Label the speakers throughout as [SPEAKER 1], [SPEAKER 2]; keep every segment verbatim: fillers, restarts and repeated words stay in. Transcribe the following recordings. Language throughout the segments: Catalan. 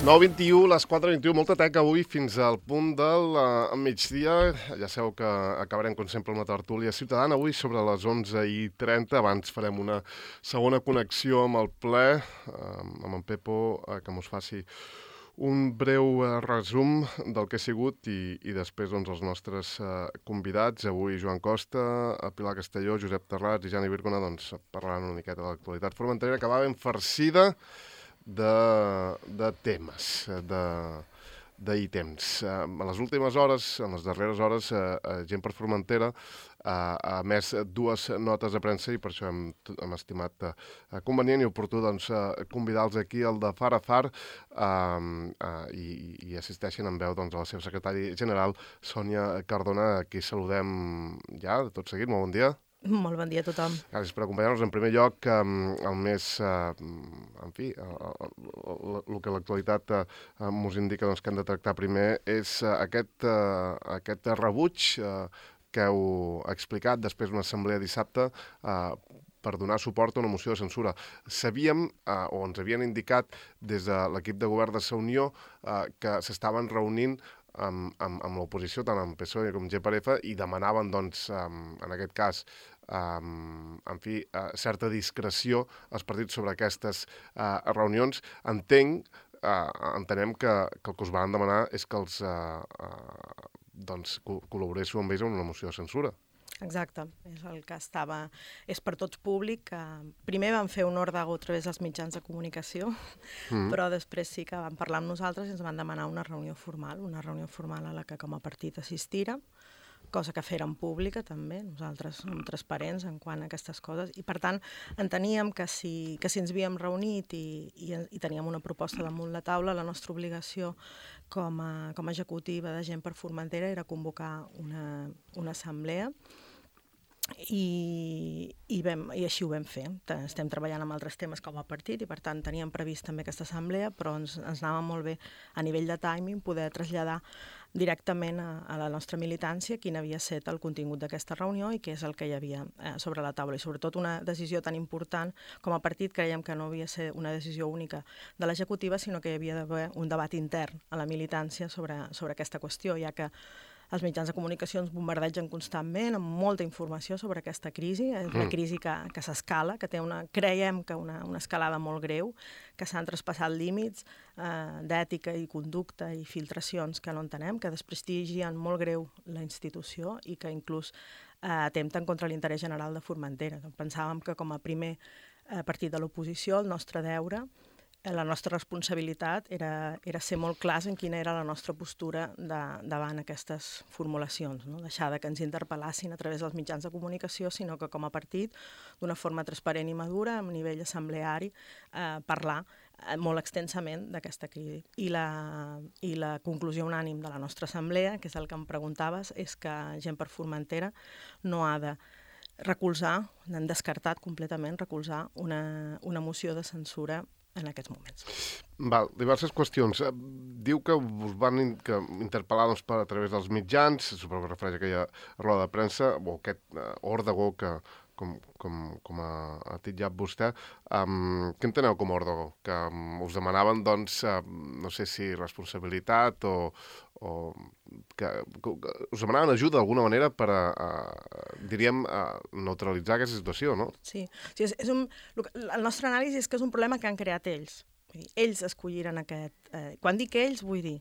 [SPEAKER 1] nou vint-i-u, les quatre vint-i-u, molta teca avui fins al punt del uh, migdia. Ja sabeu que acabarem, com sempre, amb la tertúlia ciutadana avui sobre les onze i trenta. Abans farem una segona connexió amb el ple, uh, amb en Pepo, uh, que mos faci un breu uh, resum del que ha sigut i, i després doncs, els nostres uh, convidats. Avui Joan Costa, Pilar Castelló, Josep Terrats i Jani Virgona doncs, parlaran una miqueta de l'actualitat formenterera, que va ben farcida de, de temes, de, d'ítems. Uh, en les últimes hores, en les darreres hores, uh, uh, Gent per Formentera uh, ha emès dues notes de premsa i per això hem, hem estimat uh, convenient i oportú doncs, uh, convidar-los aquí al de Far a Far uh, uh, i, i assisteixen en veu doncs, a la seva secretària general, Sònia Cardona, a qui saludem ja de tot seguit. Molt bon dia.
[SPEAKER 2] Molt bon dia a tothom.
[SPEAKER 1] Gràcies per acompanyar-nos. En primer lloc, um, el més, uh, en fi, el que l'actualitat uh, mos indica doncs, que hem de tractar primer és uh, aquest, uh, aquest rebuig uh, que heu explicat després d'una assemblea dissabte uh, per donar suport a una moció de censura. Sabíem, uh, o ens havien indicat des de l'equip de govern de Sa Unió, uh, que s'estaven reunint amb, amb, amb l'oposició, tant amb P S O E com G per F, i demanaven, doncs, um, en aquest cas, um, en fi, uh, certa discreció als partits sobre aquestes uh, reunions. Entenc, uh, entenem que, que el que us van demanar és que els uh, uh, doncs, co- col·laboréssiu amb ells en una moció de censura.
[SPEAKER 2] Exacte, és el que estava... És per tots públic. Que primer vam fer un ordago a través dels mitjans de comunicació, mm. però després sí que vam parlar amb nosaltres i ens van demanar una reunió formal, una reunió formal a la que com a partit assistira, cosa que fèrem pública també. Nosaltres som transparents en quant a aquestes coses i, per tant, enteníem que si, que si ens havíem reunit i, i, i teníem una proposta damunt la taula, la nostra obligació com a, com a executiva de Gent per Formentera era convocar una, una assemblea I, i, vam, i així ho vam fer. Estem treballant amb altres temes com a partit i, per tant, teníem previst també aquesta assemblea, però ens, ens anava molt bé a nivell de timing poder traslladar directament a, a la nostra militància quin havia estat el contingut d'aquesta reunió i què és el que hi havia eh, sobre la taula. I sobretot una decisió tan important com a partit creiem que no havia de ser una decisió única de l'executiva, sinó que hi havia d'haver un debat intern a la militància sobre, sobre aquesta qüestió, ja que els mitjans de comunicació ens bombardegen constantment amb molta informació sobre aquesta crisi. És una crisi que, que s'escala, que té una, creiem que una, una escalada molt greu, que s'han traspassat límits eh, d'ètica i conducta i filtracions que no entenem, que desprestigien molt greu la institució i que inclús eh, atempten contra l'interès general de Formentera. Pensàvem que com a primer eh, partit de l'oposició el nostre deure, la nostra responsabilitat era, era ser molt clars en quina era la nostra postura de, davant aquestes formulacions, no? Deixar de que ens interpel·lassin a través dels mitjans de comunicació, sinó que com a partit, d'una forma transparent i madura, a nivell assembleari, eh, parlar eh, molt extensament d'aquesta crisi. I la, I la conclusió unànim de la nostra assemblea, que és el que em preguntaves, és que Gent per Formentera no ha de recolzar, n'han descartat completament recolzar una, una moció de censura en aquests moments.
[SPEAKER 1] Val, diverses qüestions. Diu que us van in que interpel·lar doncs, per a través dels mitjans, suposo que refereix a aquella roda de premsa, o aquest uh, òrdago que, com, com, com ha, ha titllat vostè. Um, què enteneu com a òrdago? Que um, us demanaven, doncs, uh, no sé si responsabilitat o, o que, que us demanaven ajuda d'alguna manera per a, a diríem, a neutralitzar aquesta situació, no?
[SPEAKER 2] Sí, sí és, és un, el nostre anàlisi és que és un problema que han creat ells. Ells escolliren aquest... Eh, quan dic ells, vull dir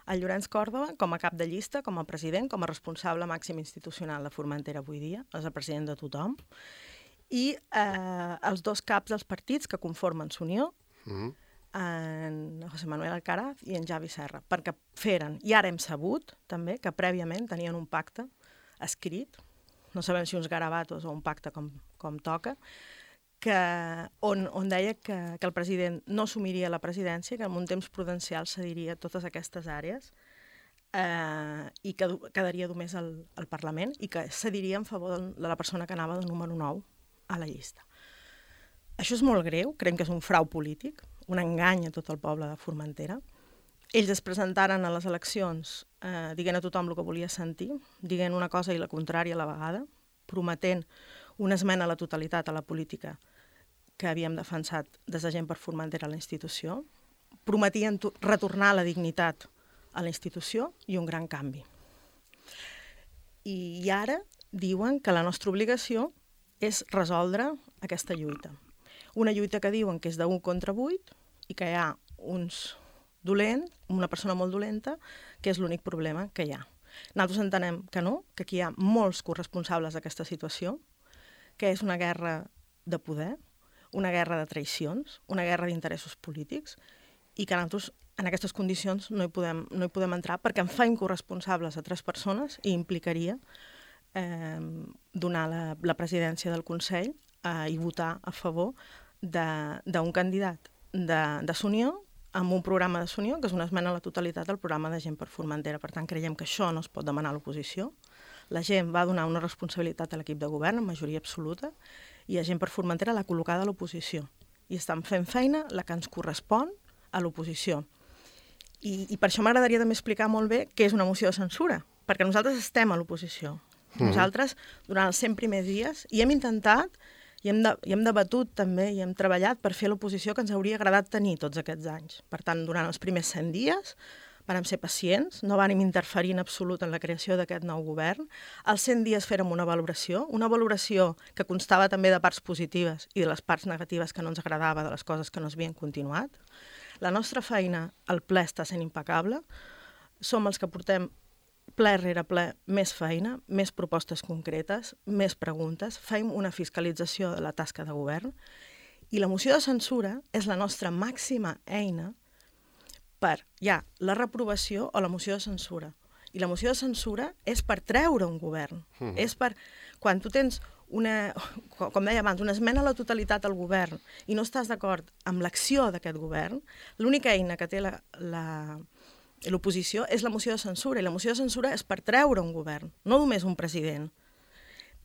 [SPEAKER 2] el Llorenç Còrdova com a cap de llista, com a president, com a responsable màxim institucional de Formentera avui dia, és el president de tothom, i eh, els dos caps dels partits que conformen S'Unió, mm-hmm. en José Manuel Alcaraz i en Javi Serra, perquè feren, i ara hem sabut també, que prèviament tenien un pacte escrit, no sabem si uns garabatos o un pacte com, com toca, que, on, on deia que, que el president no assumiria la presidència, que en un temps prudencial cediria totes aquestes àrees eh, i que quedaria només al, al Parlament i que cediria en favor de la persona que anava de número nou a la llista. Això és molt greu, creiem que és un frau polític, un engany a tot el poble de Formentera. Ells es presentaren a les eleccions eh, dient a tothom el que volia sentir, dient una cosa i la contrària a la vegada, prometent una esmena a la totalitat a la política que havíem defensat des de Gent per Formentera a la institució, prometien retornar la dignitat a la institució i un gran canvi. I ara diuen que la nostra obligació és resoldre aquesta lluita. Una lluita que diuen que és d'un contra vuit i que hi ha uns dolents, una persona molt dolenta, que és l'únic problema que hi ha. Nosaltres entenem que no, que aquí hi ha molts corresponsables d'aquesta situació, que és una guerra de poder, una guerra de traïcions, una guerra d'interessos polítics, i que nosaltres en aquestes condicions no hi podem, no hi podem entrar perquè en faim corresponsables a tres persones i implicaria eh, donar la, la presidència del Consell eh, i votar a favor d'un candidat de, de S'Unió amb un programa de S'Unió, que és una esmena a la totalitat al programa de Gent per Formentera. Per tant, creiem que això no es pot demanar a l'oposició. La gent va donar una responsabilitat a l'equip de govern, en majoria absoluta, i la Gent per Formentera l'ha col·locada a l'oposició. I estan fent feina la que ens correspon a l'oposició. I, I per això m'agradaria també explicar molt bé què és una moció de censura, perquè nosaltres estem a l'oposició. Mm. Nosaltres, durant els cent primers dies, i hem intentat, i hem, de, i hem debatut també, i hem treballat per fer l'oposició que ens hauria agradat tenir tots aquests anys. Per tant, durant els primers cent dies vàrem ser pacients, no vàrem interferir en absolut en la creació d'aquest nou govern. Als cent dies fèrem una valoració, una valoració que constava també de parts positives i de les parts negatives que no ens agradava, de les coses que no s'havien continuat. La nostra feina al ple està sent impecable. Som els que portem ple rere ple més feina, més propostes concretes, més preguntes, fem una fiscalització de la tasca de govern i la moció de censura és la nostra màxima eina per, ja, la reprovació o la moció de censura. I la moció de censura és per treure un govern. Mm. És per, quan tu tens una, com deia abans, una esmena a la totalitat al govern i no estàs d'acord amb l'acció d'aquest govern, l'única eina que té la, la, l'oposició és la moció de censura, i la moció de censura és per treure un govern, no només un president.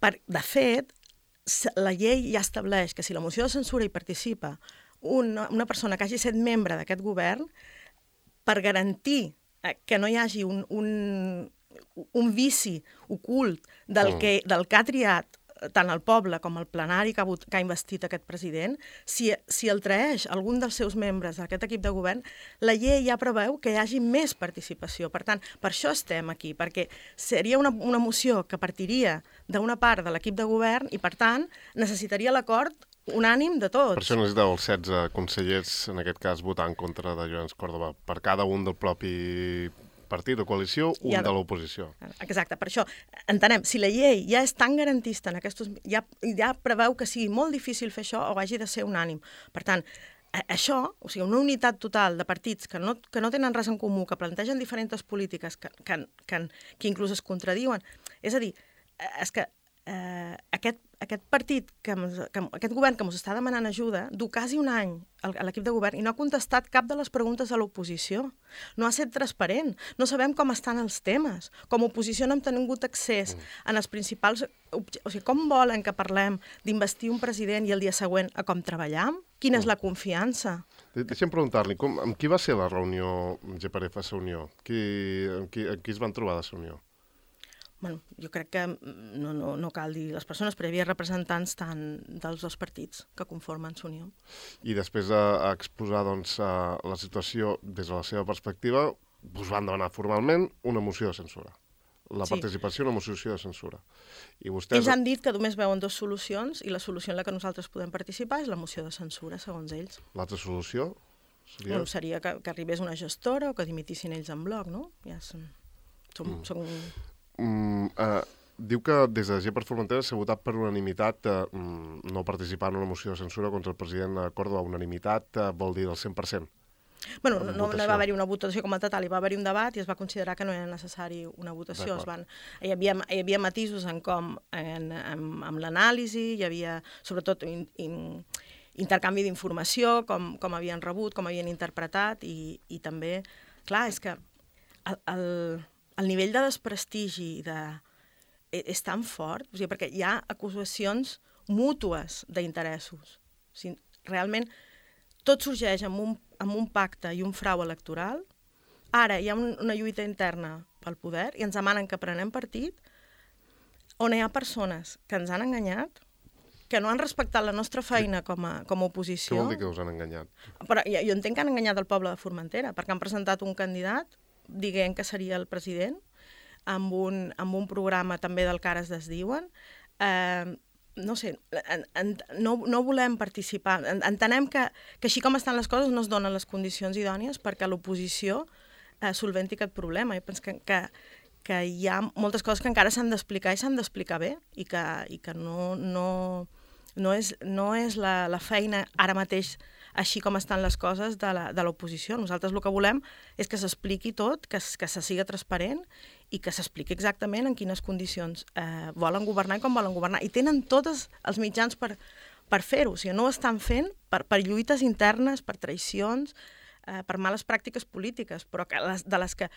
[SPEAKER 2] Per, de fet, la llei ja estableix que si la moció de censura hi participa una, una persona que hagi estat membre d'aquest govern, per garantir que no hi hagi un, un, un vici ocult del, mm. que, del que ha triat tant el poble com el plenari que ha, que ha investit aquest president, si, si el traeix algun dels seus membres d'aquest equip de govern, la llei ja preveu que hi hagi més participació. Per tant, per això estem aquí, perquè seria una, una moció que partiria d'una part de l'equip de govern i, per tant, necessitaria l'acord unànim de tots.
[SPEAKER 1] Per això necessiteu els setze consellers, en aquest cas, votar en contra de Llorenç Córdoba, per cada un del propi partit o coalició, un ja, de l'oposició.
[SPEAKER 2] Exacte, per això entenem, si la llei ja és tan garantista, en aquests, ja, ja preveu que sigui molt difícil fer això o hagi de ser unànim. Per tant, això, o sigui, una unitat total de partits que no, que no tenen res en comú, que plantegen diferents polítiques, que, que, que, que inclús es contradiuen, és a dir, és que eh, aquest, aquest partit, que, que, aquest govern que ens està demanant ajuda, du quasi un any a l'equip de govern i no ha contestat cap de les preguntes de l'oposició. No ha estat transparent. No sabem com estan els temes. Com a oposició no hem tingut accés en els principals... O sigui, com volen que parlem d'investir un president i el dia següent a com treballam? Quina és la confiança?
[SPEAKER 1] Deixa'm preguntar-li, amb qui va ser la reunió G per F a S'Unió? Qui, amb, qui, amb qui es van trobar de S'Unió?
[SPEAKER 2] Bueno, jo crec que no, no, no cal dir les persones, però hi havia representants tant dels dos partits que conformen S'Unió.
[SPEAKER 1] I després d'exposar doncs, la situació des de la seva perspectiva, us van demanar formalment una moció de censura. La sí. participació en una moció de censura. I vostès...
[SPEAKER 2] Ells han dit que només veuen dues solucions i la solució en la que nosaltres podem participar és la moció de censura, segons ells.
[SPEAKER 1] L'altra solució seria?
[SPEAKER 2] Bueno, seria que, que arribés una gestora o que dimitissin ells en bloc, no? Ja són... som, mm. som...
[SPEAKER 1] Mm, uh, diu que des de Gent per Formentera s'ha votat per unanimitat uh, no participar en una moció de censura contra el president Córdoba. Unanimitat uh, vol dir del cent per cent.
[SPEAKER 2] Bueno, no, no va haver-hi una votació com a total, hi va haver-hi un debat i es va considerar que no era necessari una votació. Es van, hi, havia, hi havia matisos en com, en, en, en l'anàlisi, hi havia sobretot in, in, intercanvi d'informació, com, com havien rebut, com havien interpretat i, i també, clar, és que el, el, el nivell de desprestigi de, és tan fort, o sigui, perquè hi ha acusacions mútues d'interessos. O sigui, realment tot sorgeix amb un, amb un pacte i un frau electoral. Ara hi ha un, una lluita interna pel poder i ens demanen que prenem partit on hi ha persones que ens han enganyat, que no han respectat la nostra feina com a, com a oposició.
[SPEAKER 1] Què vol dir que us han enganyat?
[SPEAKER 2] Però jo, jo entenc que han enganyat el poble de Formentera, perquè han presentat un candidat dient que seria el president, amb un, amb un programa també del Cares desdiuen. Eh, no sé, en, en, no, no volem participar. En, entenem que, que així com estan les coses no es donen les condicions idònies perquè l'oposició eh, solventi aquest problema. Jo penso que, que, que hi ha moltes coses que encara s'han d'explicar i s'han d'explicar bé i que, i que no, no, no és, no és la, la feina ara mateix així com estan les coses de l'oposició. Nosaltres el que volem és que s'expliqui tot, que, que se siga transparent i que s'expliqui exactament en quines condicions eh, volen governar i com volen governar. I tenen tots els mitjans per, per fer-ho. O sigui, no ho estan fent per, per lluites internes, per traïcions, eh, per males pràctiques polítiques, però que les, de les que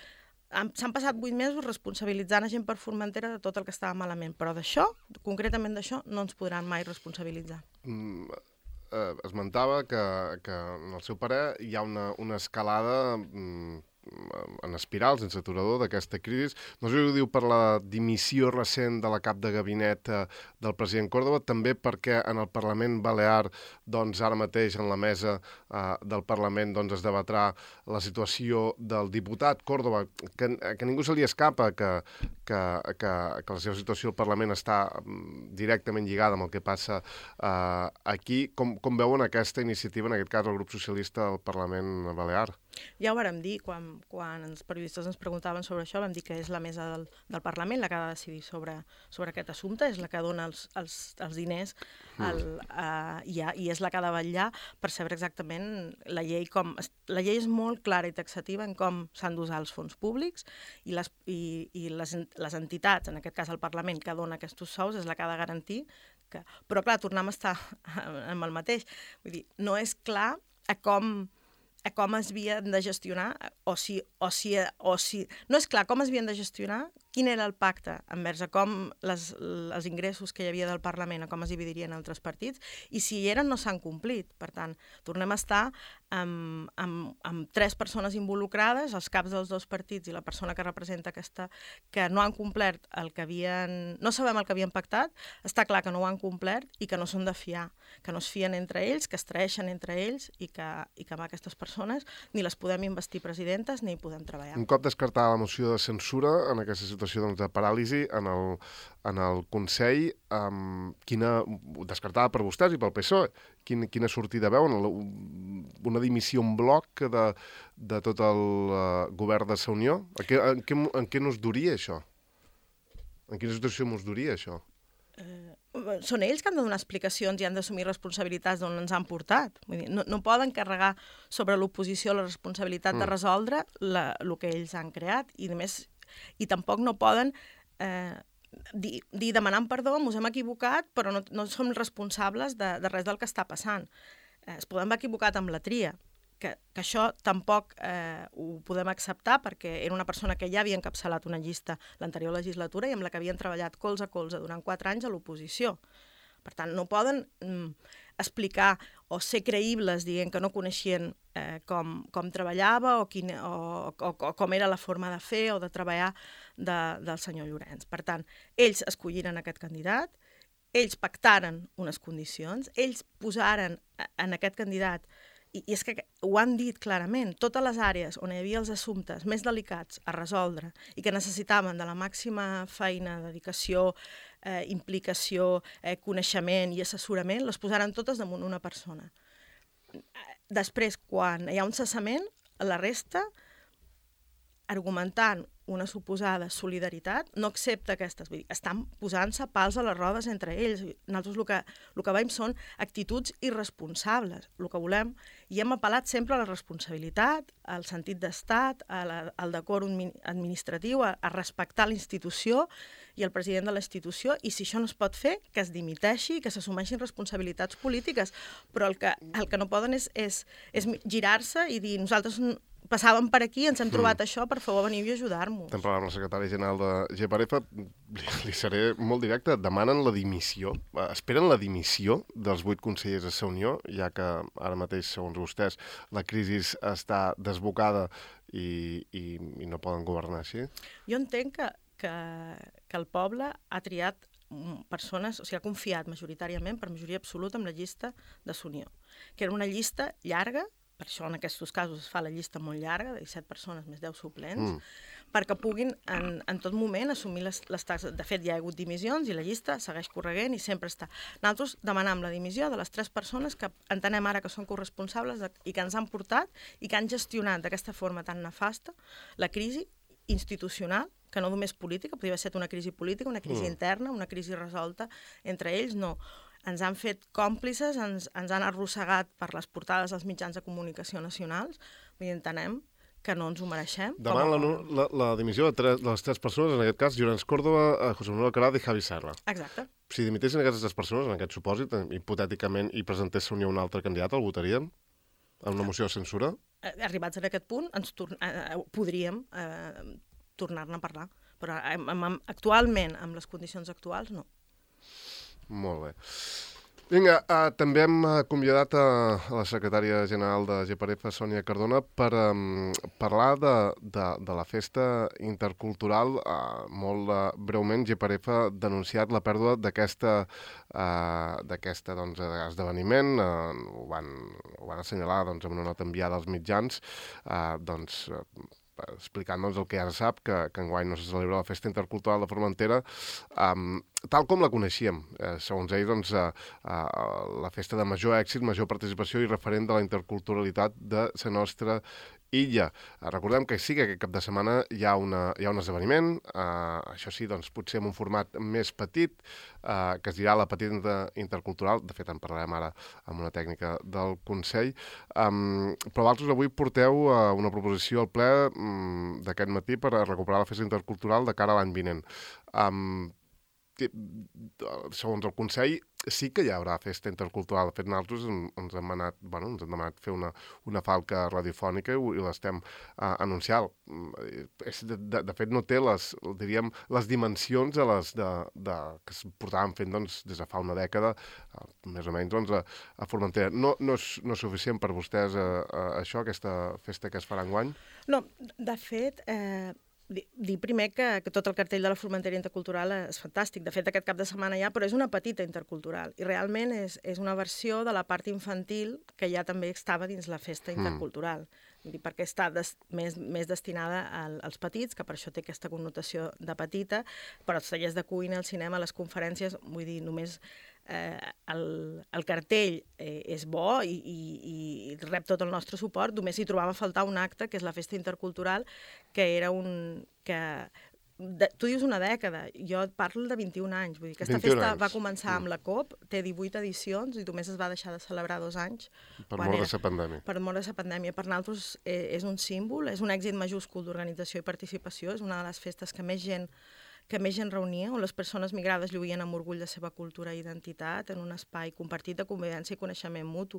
[SPEAKER 2] s'han passat vuit mesos responsabilitzant a gent per Formentera de tot el que estava malament. Però d'això, concretament d'això, no ens podran mai responsabilitzar.
[SPEAKER 1] Mm, eh, esmentava que, que en el seu parer hi ha una, una escalada mm, en espiral, sense aturador, d'aquesta crisi. No sé si ho diu per la dimissió recent de la cap de gabinet eh, del president Córdoba, també perquè en el Parlament Balear, doncs ara mateix en la mesa eh, del Parlament doncs, es debatrà la situació del diputat Córdoba, que, que ningú se li escapa que, que, que, que la seva situació al Parlament està directament lligada amb el que passa eh, aquí. Com, com veuen aquesta iniciativa, en aquest cas el grup socialista del Parlament Balear?
[SPEAKER 2] Ja ho vàrem dir, quan, quan els periodistes ens preguntaven sobre això, vam dir que és la mesa del, del Parlament la que ha de decidir sobre, sobre aquest assumpte, és la que dona els, els, els diners el, uh, i, ha, i és la que ha de vetllar per saber exactament la llei com... La llei és molt clara i taxativa en com s'han d'usar els fons públics i, les, i, i les, les entitats, en aquest cas el Parlament, que dona aquests sous, és la que ha de garantir que... Però clar, tornem a estar amb el mateix. Vull dir, no és clar a com... a com es havien de gestionar, o si, o si, o si... No és clar com es havien de gestionar, quin era el pacte envers a com les, els ingressos que hi havia del Parlament, a com es dividirien altres partits, i si hi eren no s'han complit. Per tant, tornem a estar amb, amb, amb tres persones involucrades, els caps dels dos partits i la persona que representa aquesta, que no han complert el que havien... No sabem el que havien pactat, està clar que no ho han complert i que no són de fiar, que no es fien entre ells, que es traeixen entre ells i que, i que amb aquestes persones ni les podem investir presidentes ni hi podem treballar.
[SPEAKER 1] Un cop descartada la moció de censura en aquesta situació doncs, de paràlisi en el, en el Consell, um, quina, descartada per vostès i pel P S O E, quin, quina sortida veuen? Una dimissió en bloc de, de tot el uh, govern de Sa Unió? En què, en què, en què nos duria això? En quina situació nos duria això?
[SPEAKER 2] Eh, són ells que han de donar explicacions i han d'assumir responsabilitats d'on ens han portat. Vull dir, no, no poden carregar sobre l'oposició la responsabilitat mm. de resoldre la, el que ells han creat i, més, i tampoc no poden eh, dir, dir demanant perdó, ens hem equivocat, però no, no som responsables de, de res del que està passant. Eh, es poden haver equivocat amb la tria, que, que això tampoc eh, ho podem acceptar perquè era una persona que ja havia encapçalat una llista l'anterior legislatura i amb la que havien treballat colze a colze durant quatre anys a l'oposició. Per tant, no poden mm, explicar o ser creïbles dient que no coneixien eh, com, com treballava o, quin, o, o, o com era la forma de fer o de treballar de, del senyor Llorenç. Per tant, ells escolliren aquest candidat, ells pactaren unes condicions, ells posaren en aquest candidat. I, I és que ho han dit clarament, totes les àrees on hi havia els assumptes més delicats a resoldre i que necessitaven de la màxima feina, dedicació, eh, implicació, eh, coneixement i assessorament, les posaran totes damunt una persona. Després, quan hi ha un cessament, la resta, argumentant una suposada solidaritat, no accepta aquestes. Vull dir, estan posant-se pals a les rodes entre ells. Nosaltres el que, el que veiem són actituds irresponsables. El que volem, i hem apel·lat sempre a la responsabilitat, al sentit d'estat, al decòrum administratiu, a, a respectar la institució i el president de la institució, i si això no es pot fer, que es dimiteixi i que s'assumeixin responsabilitats polítiques. Però el que, el que no poden és, és, és girar-se i dir nosaltres passàvem per aquí, ens hem trobat mm. això, per favor, veniu i ajudar-nos.
[SPEAKER 1] Estem parlant amb el secretari general de G P R F, li, li seré molt directe, demanen la dimissió, esperen la dimissió dels vuit consellers de Sa Unió, ja que ara mateix, segons vostès, la crisi està desbocada i, i, i no poden governar així?
[SPEAKER 2] Jo entenc que, que, que el poble ha triat persones, o sigui, ha confiat majoritàriament, per majoria absoluta, en la llista de s'Unió, que era una llista llarga, per això en aquests casos es fa la llista molt llarga, de disset persones més deu suplents, mm. perquè puguin en, en tot moment assumir les, les tasques. De fet, hi ha hagut dimissions i la llista segueix correguent i sempre està. Nosaltres demanam la dimissió de les tres persones que entenem ara que són corresponsables de, i que ens han portat i que han gestionat d'aquesta forma tan nefasta la crisi institucional, que no només política, podria haver estat una crisi política, una crisi mm. interna, una crisi resolta entre ells, no. Ens han fet còmplices, ens, ens han arrossegat per les portades dels mitjans de comunicació nacionals, vull dir, entenem que no ens ho mereixem.
[SPEAKER 1] Demant la, la, la dimissió de, tres, de les tres persones, en aquest cas, Llorenç Córdoba, José Manuel Alcaraz i Javi Serra.
[SPEAKER 2] Exacte.
[SPEAKER 1] Si dimitessin aquestes tres persones, en aquest supòsit, hipotèticament, i presentés-se un altre candidat, el votaríem? En una moció de censura?
[SPEAKER 2] Arribats a aquest punt, ens tor eh, podríem eh, tornar-ne a parlar. Però eh, actualment, amb les condicions actuals, no.
[SPEAKER 1] Molt bé. Vinga, uh, també hem uh, convidat a, a la secretària general de G P R F, Sònia Cardona, per um, parlar de, de, de la festa intercultural. Uh, molt uh, breument, G P R F ha denunciat la pèrdua d'aquesta uh, d'aquesta doncs, esdeveniment. Uh, ho, van, ho van assenyalar doncs, amb una nota enviada als mitjans. Uh, doncs... Uh, explicant doncs, el que ja se sap, que, que enguany no se celebra la Festa Intercultural de Formentera, um, tal com la coneixíem. Eh, segons ells, doncs, uh, uh, la festa de major èxit, major participació i referent de la interculturalitat de la nostra illa. Uh, recordem que sí que aquest cap de setmana hi ha, una, hi ha un esdeveniment, uh, això sí, doncs, potser en un format més petit, uh, que es dirà la Petita Intercultural, de fet en parlarem ara amb una tècnica del Consell, um, però vosaltres avui porteu uh, una proposició al ple um, d'aquest matí per a recuperar la festa intercultural de cara a l'any vinent. Um, segons el Consell, sí que hi haurà festa intercultural. De fet, nosaltres ens hem anat, bueno, ens hem demanat fer una, una falca radiofònica i, i l'estem uh, anunciant. De, de, de fet, no té les, diríem, les dimensions de les de, de, que es portaven fent doncs, des de fa una dècada, uh, més o menys, doncs, a, a Formentera. No, no, és, no és suficient per vostès uh, uh, això, aquesta festa que es farà enguany?
[SPEAKER 2] No, de fet... Eh... Dir primer que, que tot el cartell de la Formentera Intercultural és fantàstic. De fet, aquest cap de setmana ja, però és una petita intercultural. I realment és, és una versió de la part infantil que ja també estava dins la festa intercultural. Mm. Vull dir, perquè està des, més, més destinada al, als petits, que per això té aquesta connotació de petita, però els tallers de cuina, el cinema, les conferències, vull dir, només... Eh, el, el cartell eh, és bo i, i, i rep tot el nostre suport, només hi trobava a faltar un acte, que és la Festa Intercultural, que era un... que de, tu dius una dècada, jo parlo de vint-i-un anys, vull dir, aquesta festa anys. Va començar amb la COP, té divuit edicions i només es va deixar de celebrar dos anys.
[SPEAKER 1] Per mort de la pandèmia.
[SPEAKER 2] Per mort de la pandèmia. Per nosaltres eh, és un símbol, és un èxit majúscul d'organització i participació, és una de les festes que més gent que més gent reunia, on les persones migrades lluïen amb orgull de la seva cultura i identitat, en un espai compartit de convivència i coneixement mutu.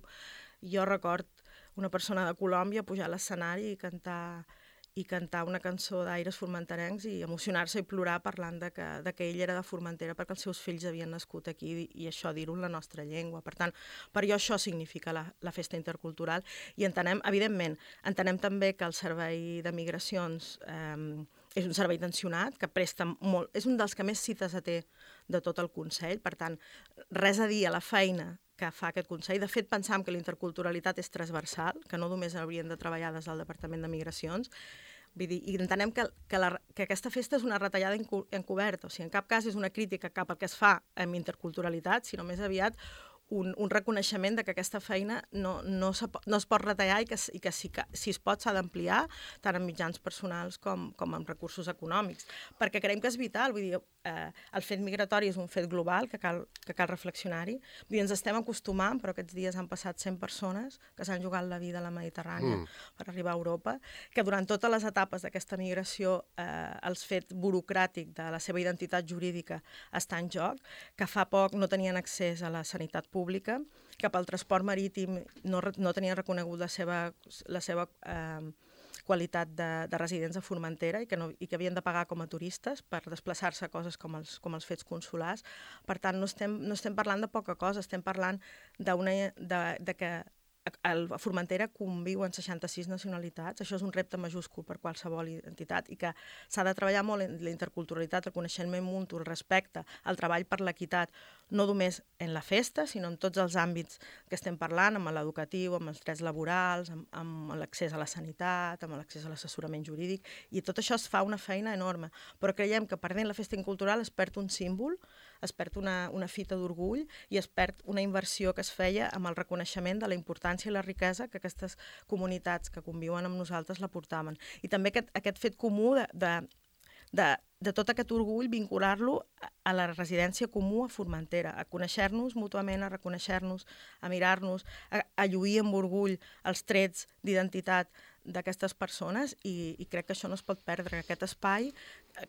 [SPEAKER 2] Jo record una persona de Colòmbia pujar a l'escenari i cantar, i cantar una cançó d'aires formenterencs i emocionar-se i plorar parlant de que, de que ell era de Formentera perquè els seus fills havien nascut aquí i, i això dir-ho en la nostra llengua. Per tant, per jo això significa la, la festa intercultural i entenem, evidentment, entenem també que el Servei de Migracions eh, és un servei tensionat, que presta molt... És un dels que més cites té de tot el Consell, per tant, res a dir a la feina que fa aquest Consell. De fet, pensam que la interculturalitat és transversal, que no només haurien de treballar des del Departament de Migracions, vull dir, i entenem que, que, la, que aquesta festa és una retallada encoberta, o sigui, en cap cas és una crítica cap al que es fa amb interculturalitat, sinó més aviat un, un reconeixement de que aquesta feina no, no, se, no es pot retallar i que, i que, si, que si es pot s'ha d'ampliar tant en mitjans personals com, com en recursos econòmics, perquè creiem que és vital, vull dir, eh, el fet migratori és un fet global que cal, que cal reflexionar-hi, vull dir, ens estem acostumant, però aquests dies han passat cent persones que s'han jugat la vida a la Mediterrània mm. per arribar a Europa, que durant totes les etapes d'aquesta migració eh, el fet burocràtic de la seva identitat jurídica està en joc, que fa poc no tenien accés a la sanitat pública pública, que pel transport marítim no, no tenien reconegut la seva, la seva eh, qualitat de, de residents a Formentera i que, no, i que havien de pagar com a turistes per desplaçar-se a coses com els, com els fets consulars. Per tant, no estem, no estem parlant de poca cosa, estem parlant d'una, de, de que a Formentera conviuen seixanta-sis nacionalitats, això és un repte majúscul per qualsevol entitat i que s'ha de treballar molt en la interculturalitat, el coneixement mutu, el respecte, el treball per l'equitat, no només en la festa, sinó en tots els àmbits que estem parlant, amb l'educatiu, amb els drets laborals, amb, amb l'accés a la sanitat, amb l'accés a l'assessorament jurídic, i tot això es fa una feina enorme. Però creiem que perdent la festa cultural es perd un símbol, es perd una, una fita d'orgull i es perd una inversió que es feia amb el reconeixement de la importància i la riquesa que aquestes comunitats que conviuen amb nosaltres la portaven. I també aquest, aquest fet comú de, de, de, de tot aquest orgull vincular-lo a la residència comú a Formentera, a conèixer-nos mútuament, a reconèixer-nos, a mirar-nos, a, a lluir amb orgull els trets d'identitat d'aquestes persones i, i crec que això no es pot perdre, que aquest espai,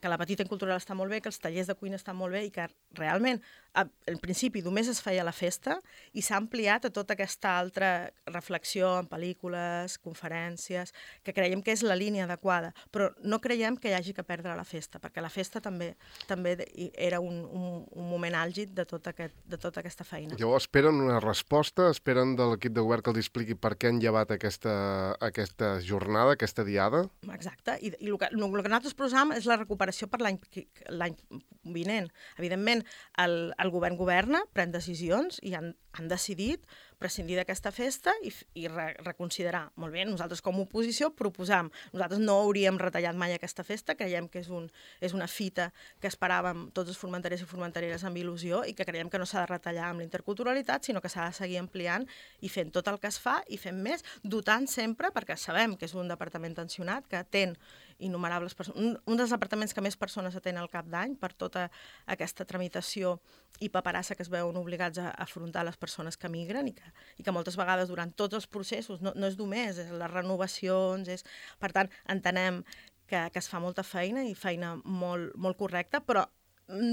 [SPEAKER 2] que la petita cultural està molt bé, que els tallers de cuina estan molt bé i que realment al principi només es feia la festa i s'ha ampliat a tota aquesta altra reflexió en pel·lícules, conferències, que creiem que és la línia adequada, però no creiem que hi hagi que perdre la festa, perquè la festa també també era un, un, un moment àlgid de, tot aquest, de tota aquesta feina.
[SPEAKER 1] Llavors esperen una resposta, esperen de l'equip de govern que els expliqui per què han llevat aquesta, aquesta jornada, aquesta diada?
[SPEAKER 2] Exacte, i, i el, que, el que nosaltres proposam és la recuperació per l'any vinent. Evidentment, el, el govern governa, pren decisions i han, han decidit prescindir d'aquesta festa i, i re, reconsiderar. Molt bé, nosaltres com a oposició proposam. Nosaltres no hauríem retallat mai aquesta festa, creiem que és, un, és una fita que esperàvem tots els formenterers i formentereres amb il·lusió i que creiem que no s'ha de retallar amb la interculturalitat, sinó que s'ha de seguir ampliant i fent tot el que es fa i fent més, dotant sempre, perquè sabem que és un departament tensionat, que atén innumerables persones, un, un dels departaments que més persones atén al cap d'any per tota aquesta tramitació i paperassa que es veuen obligats a afrontar les persones que migren i que, i que moltes vegades durant tots els processos, no, no és només, és les renovacions, és... per tant, entenem que, que es fa molta feina i feina molt, molt correcta, però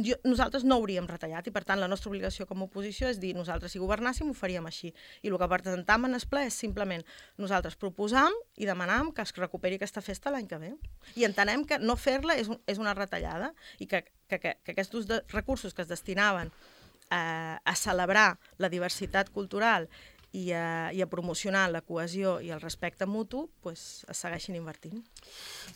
[SPEAKER 2] jo, nosaltres no hauríem retallat i per tant la nostra obligació com a oposició és dir nosaltres si governàssim ho faríem així i el que presentam en el ple és simplement nosaltres proposam i demanam que es recuperi aquesta festa l'any que ve i entenem que no fer-la és, un, és una retallada i que, que, que, que aquests de recursos que es destinaven a, a celebrar la diversitat cultural i a, i a promocionar la cohesió i el respecte mutu, pues, es segueixin invertint.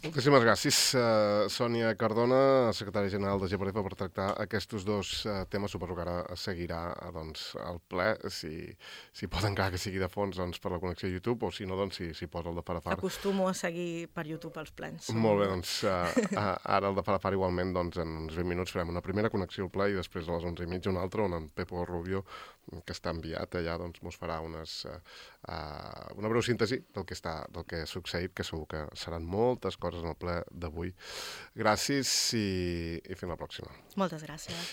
[SPEAKER 1] Moltíssimes gràcies, uh, Sònia Cardona, secretària general de G P R F, per tractar aquests dos uh, temes. Suposo que ara seguirà doncs, el ple, si, si pot encara que sigui de fons doncs, per la connexió a YouTube, o si no, doncs, si, si posa el de Farafar.
[SPEAKER 2] Acostumo a seguir per YouTube els plens.
[SPEAKER 1] Molt bé, doncs uh, ara el de Farafar igualment, doncs, en uns vint minuts farem una primera connexió al ple i després a les onze i mitja una altra, on en Pepo Rubio, que està enviat allà, doncs, mos farà unes, uh, uh, una breu síntesi del que, està, del que ha succeït, que segur que seran moltes coses en el ple d'avui. Gràcies i, i fins la pròxima.
[SPEAKER 2] Moltes gràcies.